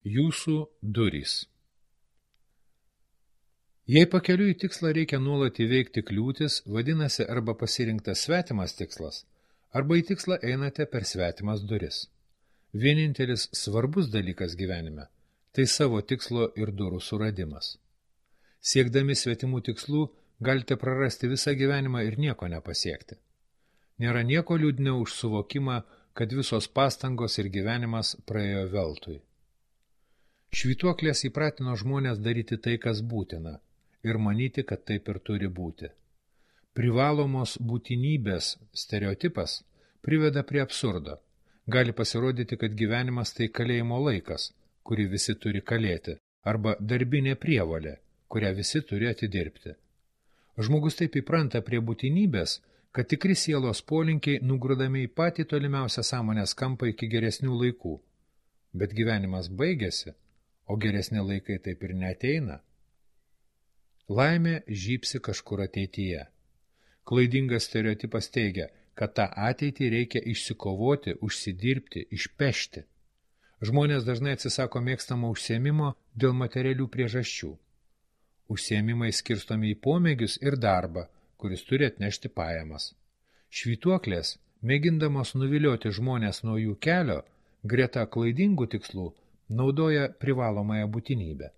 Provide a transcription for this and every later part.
Jūsų durys. Jei pakeliui į tikslą reikia nuolat įveikti kliūtis, vadinasi arba pasirinktas svetimas tikslas, arba į tikslą einate per svetimas duris. Vienintelis svarbus dalykas gyvenime – tai savo tikslo ir durų suradimas. Siekdami svetimų tikslų galite prarasti visą gyvenimą ir nieko nepasiekti. Nėra nieko liūdniau už suvokimą, kad visos pastangos ir gyvenimas praėjo veltui. Švytuoklės įpratino žmonės daryti tai, kas būtina, ir manyti, kad taip ir turi būti. Privalomos būtinybės stereotipas priveda prie absurdo. Gali pasirodyti, kad gyvenimas tai kalėjimo laikas, kurį visi turi kalėti, arba darbinė prievolė, kurią visi turi atidirbti. Žmogus taip įpranta prie būtinybės, kad tikri sielos polinkiai nugrūdami į patį tolimiausią sąmonės kampą iki geresnių laikų. Bet gyvenimas baigėsi, o geresni laikai taip ir neateina. Laimė žybsi kažkur ateityje. Klaidingas stereotipas teigia, kad tą ateitį reikia išsikovoti, užsidirbti, išpešti. Žmonės dažnai atsisako mėgstamo užsiėmimo dėl materialių priežasčių. Užsiėmimai skirstomi į pomėgius ir darbą, kuris turi atnešti pajamas. Švytuoklės, mėgindamos nuvilioti žmonės nuo jų kelio, greta klaidingų tikslų, naudoja privalomąją būtinybę.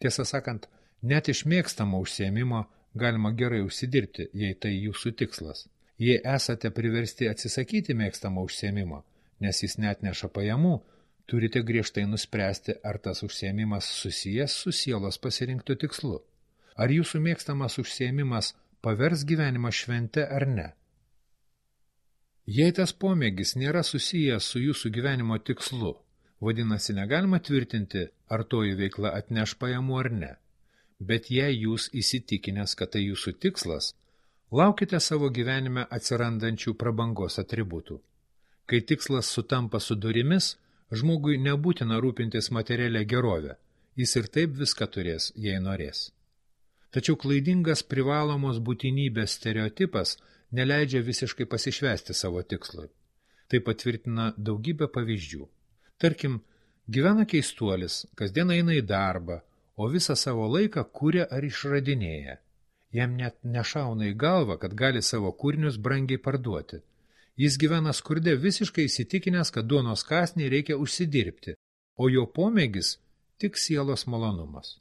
Tiesą sakant, net iš mėgstamo užsiėmimo galima gerai užsidirbti, jei tai jūsų tikslas. Jei esate priversti atsisakyti mėgstamo užsiėmimo, nes jis neatneša pajamų, turite griežtai nuspręsti, ar tas užsiėmimas susijęs su sielos pasirinktu tikslu. Ar jūsų mėgstamas užsiėmimas pavers gyvenimą švente ar ne? Jei tas pomėgis nėra susijęs su jūsų gyvenimo tikslu, vadinasi, negalima tvirtinti, ar toji veikla atneš pajamų ar ne. Bet jei jūs įsitikinęs, kad tai jūsų tikslas, laukite savo gyvenime atsirandančių prabangos atributų. Kai tikslas sutampa su durimis, žmogui nebūtina rūpintis materialia gerovė, jis ir taip viską turės, jei norės. Tačiau klaidingas privalomos būtinybės stereotipas neleidžia visiškai pasišvęsti savo tikslui. Tai patvirtina daugybę pavyzdžių. Tarkim, gyvena keistuolis, kasdien eina į darbą, o visą savo laiką kuria ar išradinėja. Jam net nešauna į galvą, kad gali savo kūrinius brangiai parduoti. Jis gyvena skurde visiškai įsitikinęs, kad duonos kąsnį reikia užsidirbti, o jo pomėgis tik sielos malonumas.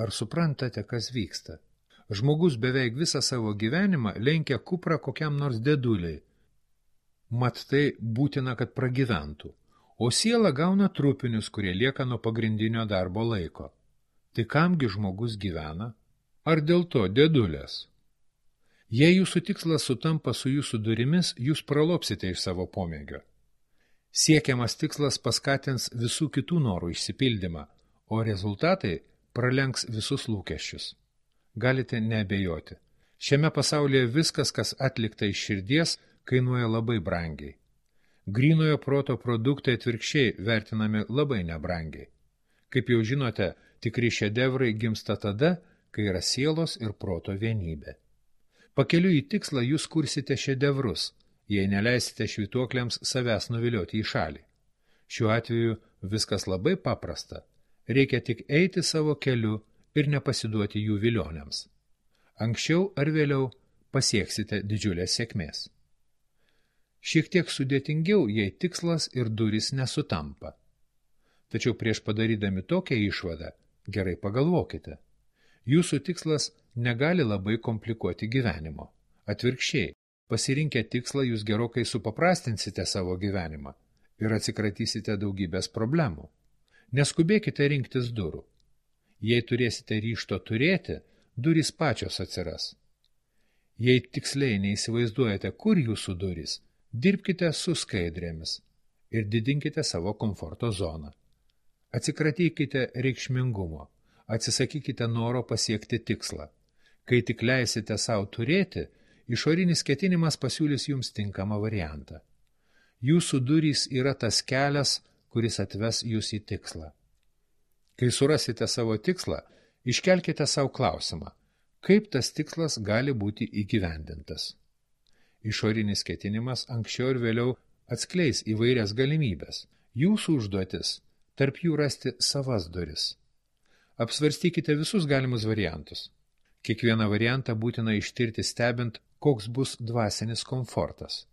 Ar suprantate, kas vyksta? Žmogus beveik visą savo gyvenimą lenkia kuprą kokiam nors deduliai. Mat tai būtina, kad pragyventų. O siela gauna trupinius, kurie lieka nuo pagrindinio darbo laiko. Tai kamgi žmogus gyvena? Ar dėl to dėdulės? Jei jūsų tikslas sutampa su jūsų durimis, jūs pralopsite iš savo pomėgio. Siekiamas tikslas paskatins visų kitų norų išsipildymą, o rezultatai pralenks visus lūkesčius. Galite neabejoti. Šiame pasaulyje viskas, kas atlikta iš širdies, kainuoja labai brangiai. Grynojo proto produktai atvirkščiai vertinami labai nebrangiai. Kaip jau žinote, tikri šedevrai gimsta tada, kai yra sielos ir proto vienybė. Pakeliui į tikslą jūs kursite šedevrus, jei neleisite švytuokliams savęs nuvilioti į šalį. Šiuo atveju viskas labai paprasta. Reikia tik eiti savo keliu ir nepasiduoti jų vilionėms. Anksčiau ar vėliau pasieksite didžiulės sėkmės. Šiek tiek sudėtingiau, jei tikslas ir durys nesutampa. Tačiau prieš padarydami tokią išvadą, gerai pagalvokite. Jūsų tikslas negali labai komplikuoti gyvenimo. Atvirkščiai, pasirinkę tikslą jūs gerokai supaprastinsite savo gyvenimą ir atsikratysite daugybės problemų. Neskubėkite rinktis durų. Jei turėsite ryžto turėti, durys pačios atsiras. Jei tiksliai neįsivaizduojate, kur jūsų durys, dirbkite su skaidrėmis ir didinkite savo komforto zoną. Atsikratykite reikšmingumo, atsisakykite noro pasiekti tikslą. Kai tik leisite savo turėti, išorinis ketinimas pasiūlys jums tinkamą variantą. Jūsų durys yra tas kelias, kuris atves jūs į tikslą. Kai surasite savo tikslą, iškelkite savo klausimą, kaip tas tikslas gali būti įgyvendintas. Išorinis ketinimas anksčiau ir vėliau atskleis įvairias galimybės. Jūsų užduotis tarp jų rasti savas duris. Apsvarstykite visus galimus variantus. Kiekvieną variantą būtina ištirti stebint, koks bus dvasinis komfortas.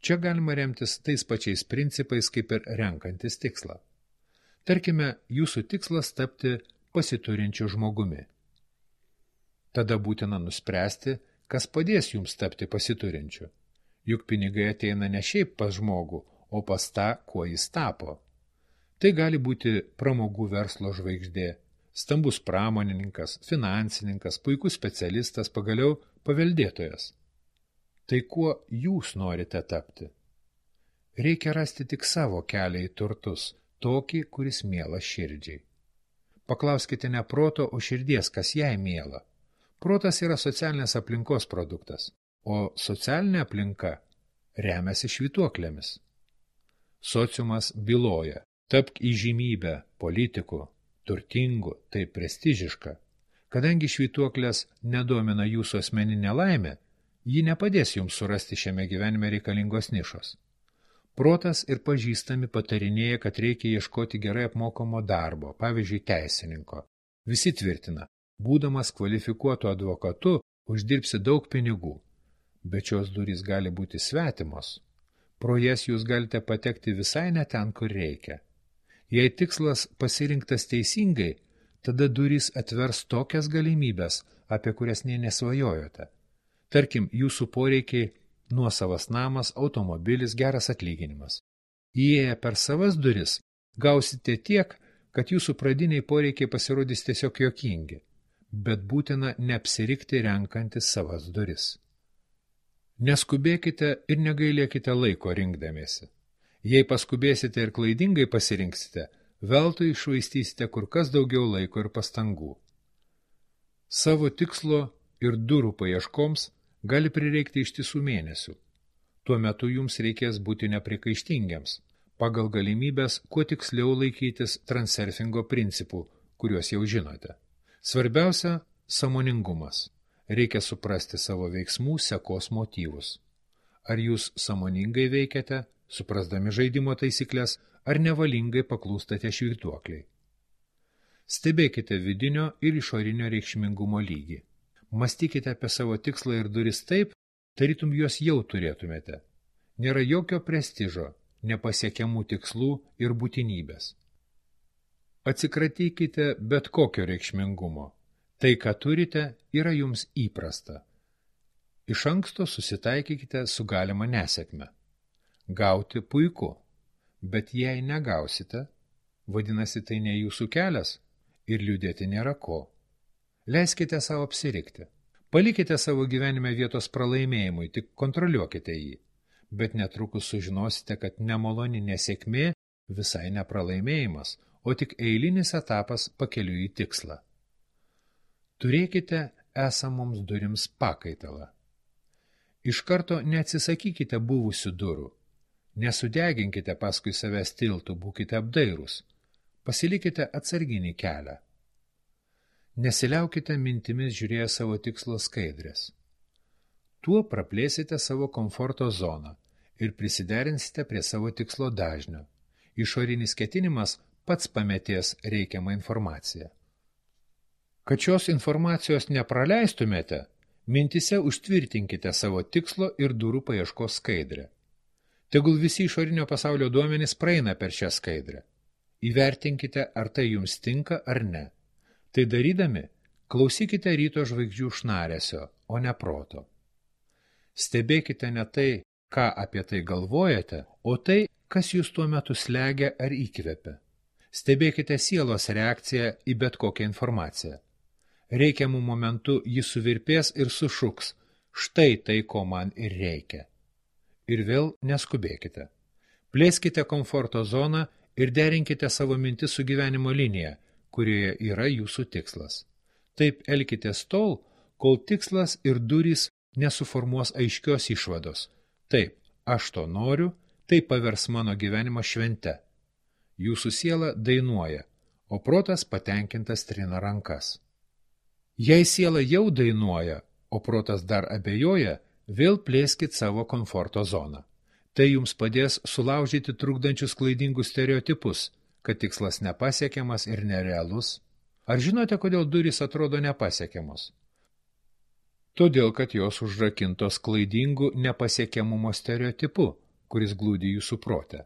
Čia galima remtis tais pačiais principais, kaip ir renkantis tikslą. Tarkime, jūsų tikslas tapti pasiturinčiu žmogumi. Tada būtina nuspręsti, kas padės jums tapti pasiturinčiu. Juk pinigai ateina ne šiaip pas žmogų, o pas tą, kuo jis tapo. Tai gali būti pramogų verslo žvaigždė, stambus pramonininkas, finansininkas, puikus specialistas, pagaliau paveldėtojas. Tai kuo jūs norite tapti? Reikia rasti tik savo kelią į turtus, tokį, kuris mielas širdžiai. Paklauskite ne proto, o širdies, kas jai miela. Protas yra socialinės aplinkos produktas, o socialinė aplinka remiasi švytuoklėmis. Sociumas byloja, tapk įžymybę, politikų, turtingų, tai prestižiška. Kadangi švytuoklės nedomina jūsų asmeninė laimė, ji nepadės jums surasti šiame gyvenime reikalingos nišos. Protas ir pažįstami patarinėja, kad reikia ieškoti gerai apmokamo darbo, pavyzdžiui, teisininko. Visi tvirtina, būdamas kvalifikuotu advokatu, uždirbsi daug pinigų, bet šios durys gali būti svetimos. Pro jas jūs galite patekti visai ne ten, kur reikia. Jei tikslas pasirinktas teisingai, tada durys atvers tokias galimybės, apie kurias nė nesvajojote. Tarkim, jūsų poreikiai nuosavas namas, automobilis, geras atlyginimas. Įėję per savas duris, gausite tiek, kad jūsų pradiniai poreikiai pasirodys tiesiog juokingi, bet būtina neapsirikti renkantis savas duris. Neskubėkite ir negailėkite laiko rinkdamiesi. Jei paskubėsite ir klaidingai pasirinksite, veltui iššvaistysite kur kas daugiau laiko ir pastangų. Savo tikslo ir durų paieškoms gali prireikti ištisų mėnesių. Tuo metu jums reikės būti neprikaištingiams, pagal galimybės kuo tiksliau laikytis transurfingo principų, kuriuos jau žinote. Svarbiausia – sąmoningumas. Reikia suprasti savo veiksmų sekos motyvus. Ar jūs sąmoningai veikiate, suprasdami žaidimo taisyklės, ar nevalingai paklūstate švytuokliai. Stebėkite vidinio ir išorinio reikšmingumo lygį. Mąstykite apie savo tikslą ir duris taip, tarytum juos jau turėtumėte. Nėra jokio prestižo, nepasiekiamų tikslų ir būtinybės. Atsikratykite bet kokio reikšmingumo. Tai, ką turite, yra jums įprasta. Iš anksto susitaikykite su galima nesėkme. Gauti puiku, bet jei negausite, vadinasi tai ne jūsų kelias ir liūdėti nėra ko. Leiskite savo apsirikti. Palikite savo gyvenime vietos pralaimėjimui, tik kontroliuokite jį. Bet netrukus sužinosite, kad nemaloni nesėkmė visai nepralaimėjimas, o tik eilinis etapas pakeliui į tikslą. Turėkite esamoms durims pakaitalą. Iš karto neatsisakykite buvusių durų. Nesudeginkite paskui savęs tiltų, būkite apdairūs. Pasilikite atsarginį kelią. Nesiliaukite mintimis žiūrėję savo tikslo skaidrės. Tuo praplėsite savo komforto zoną ir prisiderinsite prie savo tikslo dažnio. Išorinis ketinimas pats pametės reikiamą informaciją. Kad šios informacijos nepraleistumėte, mintise užtvirtinkite savo tikslo ir durų paieškos skaidrę. Tegul visi išorinio pasaulio duomenys praeina per šią skaidrę. Įvertinkite, ar tai jums tinka ar ne. Tai darydami, klausykite ryto žvaigždžių šnaresio, o ne proto. Stebėkite ne tai, ką apie tai galvojate, o tai, kas jūs tuo metu slegia ar įkvepia. Stebėkite sielos reakciją į bet kokią informaciją. Reikiamų momentų jis suvirpės ir sušuks, štai tai, ko man ir reikia. Ir vėl neskubėkite. Plėskite komforto zoną ir derinkite savo mintis su gyvenimo linija, kurioje yra jūsų tikslas. Taip elkitės tol, kol tikslas ir durys nesuformuos aiškios išvados. Taip, aš to noriu, tai pavers mano gyvenimo švente. Jūsų siela dainuoja, o protas patenkintas trina rankas. Jei siela jau dainuoja, o protas dar abejoja, vėl plėskit savo komforto zoną. Tai jums padės sulaužyti trukdančius klaidingus stereotipus, kad tikslas nepasiekiamas ir nerealus? Ar žinote, kodėl durys atrodo nepasiekiamos? Todėl, kad jos užrakintos klaidingu nepasiekiamumo stereotipu, kuris glūdi jūsų prote.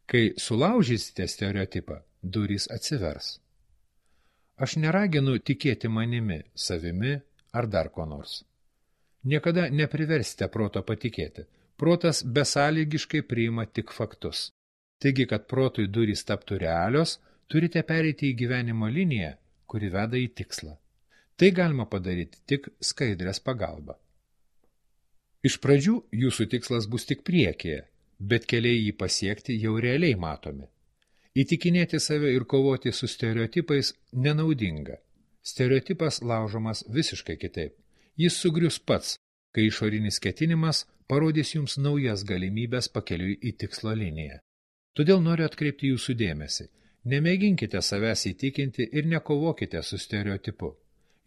Kai sulaužysite stereotipą, durys atsivers. Aš neraginu tikėti manimi, savimi ar dar ko nors. Niekada nepriversite proto patikėti. Protas besąlygiškai priima tik faktus. Taigi, kad protui durys taptų realios, turite pereiti į gyvenimo liniją, kuri veda į tikslą. Tai galima padaryti tik skaidrės pagalba. Iš pradžių jūsų tikslas bus tik priekyje, bet keliai jį pasiekti jau realiai matomi. Įtikinėti save ir kovoti su stereotipais nenaudinga. Stereotipas laužomas visiškai kitaip. Jis sugrius pats, kai išorinis ketinimas parodys jums naujas galimybės pakeliui į tikslo liniją. Todėl noriu atkreipti jūsų dėmesį. Nemėginkite savęs įtikinti ir nekovokite su stereotipu.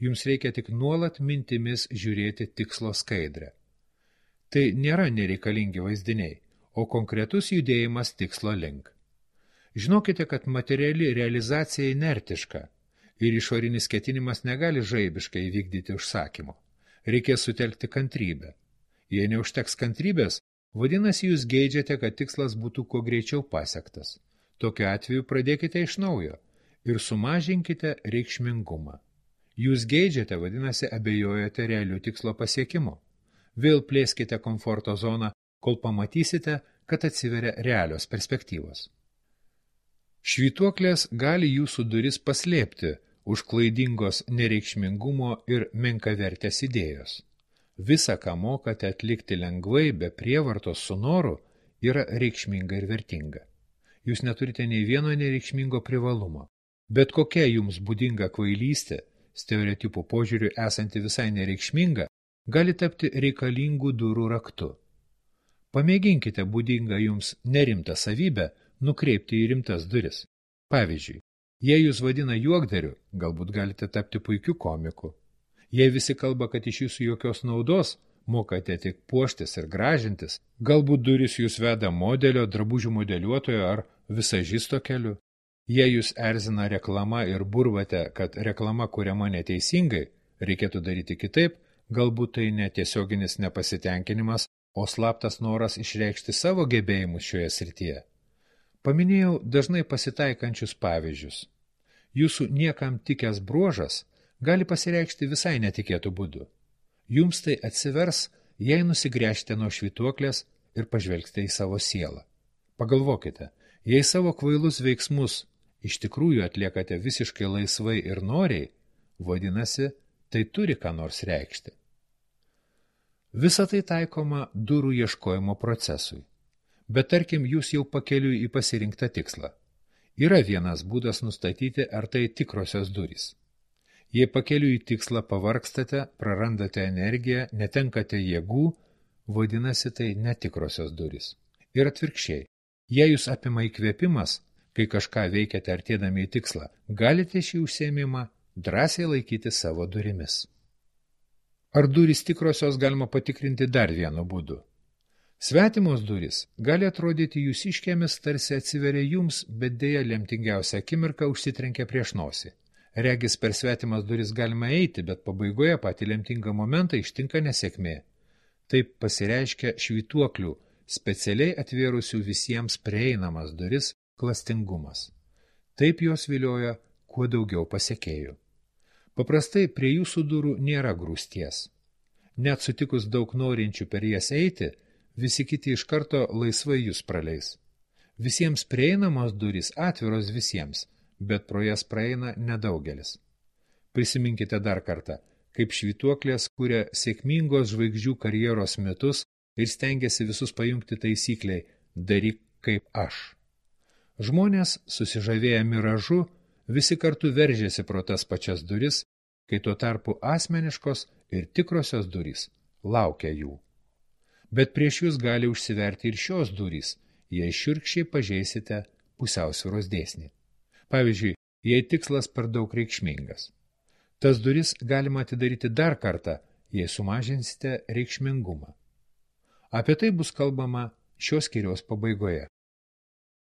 Jums reikia tik nuolat mintimis žiūrėti tikslo skaidrę. Tai nėra nereikalingi vaizdiniai, o konkretus judėjimas tikslo link. Žinokite, kad materiali realizacija inertiška ir išorinis ketinimas negali žaibiškai įvykdyti užsakymo. Reikės sutelkti kantrybę. Jei neužteks kantrybės, vadinasi, jūs geidžiate, kad tikslas būtų kuo greičiau pasiektas. Tokiu atveju pradėkite iš naujo ir sumažinkite reikšmingumą. Jūs geidžiate, vadinasi, abejojate realių tikslo pasiekimu. Vėl plėskite komforto zoną, kol pamatysite, kad atsiveria realios perspektyvos. Švytuoklės gali jūsų duris paslėpti už klaidingos nereikšmingumo ir menkavertės idėjos. Visa, ką mokate atlikti lengvai, be prievartos su noru, yra reikšminga ir vertinga. Jūs neturite nei vieno nereikšmingo privalumo. Bet kokia jums būdinga kvailystė, stereotipų požiūriu esanti visai nereikšminga, gali tapti reikalingų durų raktu. Pamėginkite būdingą jums nerimtą savybę nukreipti į rimtas duris. Pavyzdžiui, jei jūs vadina juokdariu, galbūt galite tapti puikiu komiku. Jei visi kalba, kad iš jūsų jokios naudos, mokate tik puoštis ir gražintis, galbūt durys jūs veda modelio, drabužių modeliuotojo ar visažisto keliu. Jei jūs erzina reklama ir burvate, kad reklama kuriama neteisingai, reikėtų daryti kitaip, galbūt tai netiesioginis nepasitenkinimas, o slaptas noras išreikšti savo gebėjimus šioje srityje. Paminėjau dažnai pasitaikančius pavyzdžius. Jūsų niekam tikęs bruožas gali pasireikšti visai netikėtų būdų. Jums tai atsivers, jei nusigręžite nuo švytuoklės ir pažvelgsite į savo sielą. Pagalvokite, jei savo kvailus veiksmus iš tikrųjų atliekate visiškai laisvai ir noriai, vadinasi, tai turi ką nors reikšti. Visa tai taikoma durų ieškojimo procesui. Bet tarkim, jūs jau pakeliui į pasirinktą tikslą. Yra vienas būdas nustatyti, ar tai tikrosios durys. Jei pakeliui į tikslą pavargstate, prarandate energiją, netenkate jėgų, vadinasi tai netikrosios durys. Ir atvirkščiai, jei jūs apima įkvėpimas, kai kažką veikiate artėdami į tikslą, galite šį užsiėmimą drąsiai laikyti savo durimis. Ar durys tikrosios galima patikrinti dar vienu būdu? Svetimos durys gali atrodyti jūsiškėmis, tarsi atsiveria jums, bet dėja lemtingiausia akimirka užsitrenkia prieš nosį. Regis per svetimas duris galima eiti, bet pabaigoje patį lemtingą momentą ištinka nesėkmė. Taip pasireiškia švytuoklių, specialiai atvėrusių visiems prieinamas duris, klastingumas. Taip jos vilioja kuo daugiau pasekėjų. Paprastai prie jūsų durų nėra grūsties. Net sutikus daug norinčių per jas eiti, visi kiti iš karto laisvai jūs praleis. Visiems prieinamos durys atviros visiems, bet pro jas praeina nedaugelis. Prisiminkite dar kartą, kaip švytuoklės kuria sėkmingos žvaigždžių karjeros metus ir stengiasi visus pajungti taisykliai daryk kaip aš. Žmonės, susižavėję miražu, visi kartu veržėsi pro tas pačias duris, kai tuo tarpu asmeniškos ir tikrosios durys laukia jų. Bet prieš jūs gali užsiverti ir šios durys, jei šiurkščiai pažeisite pusiausvyros dėsnį. Pavyzdžiui, jei tikslas per daug reikšmingas. Tas duris galima atidaryti dar kartą, jei sumažinsite reikšmingumą. Apie tai bus kalbama šios skyriaus pabaigoje.